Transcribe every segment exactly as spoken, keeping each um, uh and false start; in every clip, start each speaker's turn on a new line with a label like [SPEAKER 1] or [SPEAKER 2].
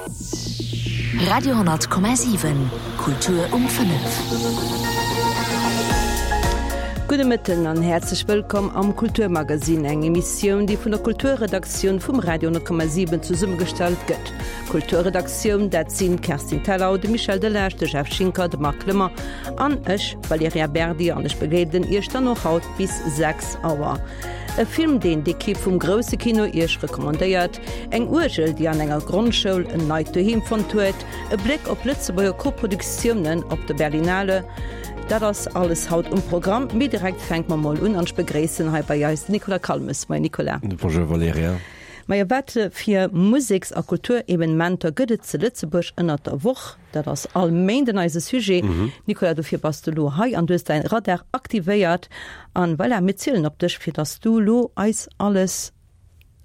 [SPEAKER 1] Radio honnert Komma siwen, Kultur um fënnef.
[SPEAKER 2] Gudde Mëtten an häerzlech wëllkomm am Kulturmagazin, eng Emissioun, déi vun der Kulturredaktioun vum Radio honnert Komma siwen zesummegestallt gëtt. Kulturredaktioun, dat sinn d'Kerstin Thalau, de Michel Delage, de Jeff Schinker, de Marc Clement an ech, Valerija Berdi, an ech begleeden Iech dann och haut bis sechs Auer. E Film, deen d'Ekipp vum Grousse Kino Iech recommandéiert, eng Uergel, déi an enger Grondschoul en neit Doheem fonnt huet, e Bléck op Lëtzebuerger Koproduktiounen op der Berlinale, dat ass alles haut um Programm. Mee direkt fänke mer mol un an ech begréissen hei bei eis den Nicolas Calmes. Moien Nicolas.
[SPEAKER 3] Bonjour Valerija.
[SPEAKER 2] Majo, wat fir Museks a Kulturevenementer gëtt et zu Lëtzebuerg ënnert der Woch? Dat ass all Méinden eise Sujet. Nicolas, dofir bass de lo hei an du hues däin Radar aktivéiert. An voilà, mir zielen op dech, fir dass du lo eis alles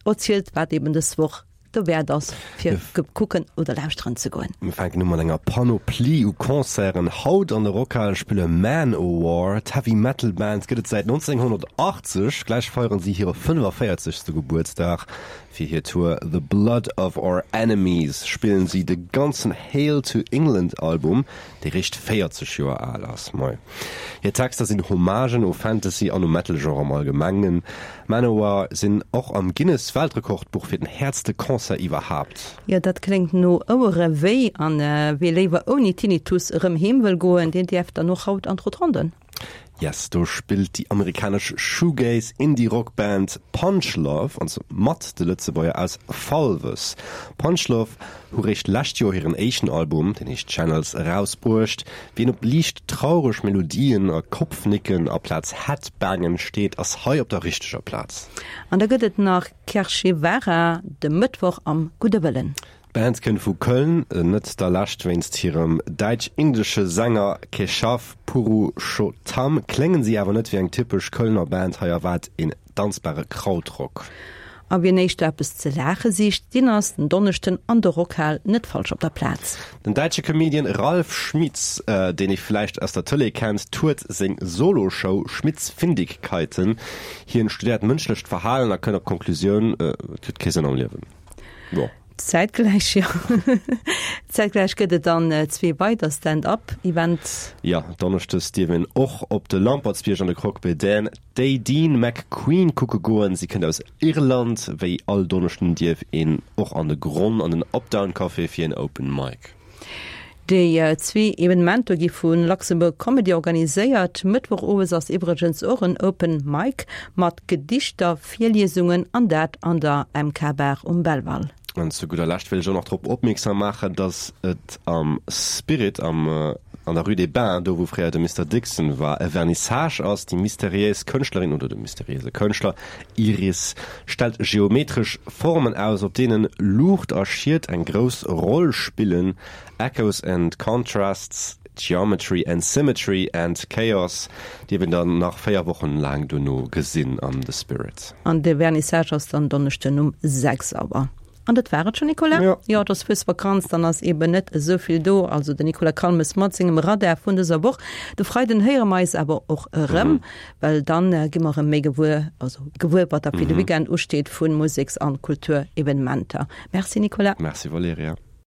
[SPEAKER 2] erzielt, wat eben dës Woch dowäert ass, fir kucken oder lauschteren ze goen.
[SPEAKER 3] Mir fänken u mat enger Panoplie u Concerten. Haut an der Rockhal spille Manowar. D'Heavy Metal Band gëtt et säit nonzénghonnertachtzeg. Gläich feieren si hire fënnefaviertzegste Gebuertsdag. Fir hir Tour The Blood of Our Enemies spillen si de ganzen Hail to England Album, dee réischt véierzeg Joer al ass. Moi. Hir Texter sinn Hommagen u Fantasy an um Metal-Genre am Allgemengen. Manowar sinn och am Guinness Weltrekordbuch fir den häertste Concert iwwerhaapt.
[SPEAKER 2] Jo, dat kléngt no Ouere wéi. An wie léiwer ouni Tinnitus erëm heem wëll goen, deen däerf dann och haut an d'Rotonden.
[SPEAKER 3] Yes, do spillt déi amerikanesch Shoegaze Indie Rock Band Punchlove, an zwar mat de Lëtzebuerger aus Falves. Punchlove hu réischt lescht Joer hiren éischten Album, deen heescht Channels, erausbruecht. Wien op liicht traureg Melodien a Kopfnicken aplaz Headbangen steet, ass hei op der richteger Plaz.
[SPEAKER 2] An da gëtt et nach Kerchevara de Mëttwoch am Gudde Wëllen.
[SPEAKER 3] D'Band kënnt vu Köln, net der Lescht wéinst hirem däitsch-indesche Sänger Keshav Purushottam kléngen si awer net wéi eng typesch Kölner Band, hei erwaart een danzbare Krautrock.
[SPEAKER 2] A wien éischter eppes ze laache sicht, deen ass den Donneschden an der Rockhal net falsch op der Plaz.
[SPEAKER 3] Den däitsche Comedian Ralf Schmitz, deen ee vläicht aus der Tëlee kennt, tourt seng Solo-Show Schmitzfindigkeiten. Hien studéiert mënschlecht Verhalen a kënnt op d'Konklusioun, Et huet kee Sënn am Liewen. Jo.
[SPEAKER 2] Zäitgläich, jo. Zäitgläich gëtt et dann zwee weider Stand-up-Events.
[SPEAKER 3] Jo, donneschdes dierf een och op de Lampertsbierg an de Croque Bédaine d'Aideen McQueen kucke goen. Si kënnt aus Irland. Wéi all Donneschden dierf een och an de Gronn an den Updown Café fir en Open Mic.
[SPEAKER 2] Déi zwee Evenementer gi vu Luxembourg Comedy organiséiert. Mëttwoch owes ass iwwregens och en Open Mic mat Gedichter, Virliesungen an dat an der M K Bar um Belval.
[SPEAKER 3] An zu gudder Lescht wéll ech och nach drop opmierksam maachen, dass et am Spirit am an der Rue des Bains, do wou fréier de Mister Dixon war, e Vernissage ass. Déi mysteriéis Kënschtlerin oder de mysteriéise Kënschtler Iris stellt geometresch Formen aus, op deenen Luucht a Schied eng grouss Roll spillen, Echoes and Contrasts, Geometry and Symmetry and Chaos, dierf een dann nach véier Wochen laang dono gesinn am The Spirit.
[SPEAKER 2] An de Vernissage ass dann Donneschden um sechs Auer. An dat war et schonn, Nicolas?
[SPEAKER 3] Jo.
[SPEAKER 2] Jo, et ass Fuesvakanz, dann ass eben net esou vill do. Also den Nicolas Calmes mat sengem Radar vun dëser Woch. De Freiden héiere mer eis awer och erëm, well dann gi mer erëm méi gewuer, also gewuer, wat da fir de Weekend usteet vu Museks an Kulturevenementer. Merci Nicolas.
[SPEAKER 3] Merci Valerija.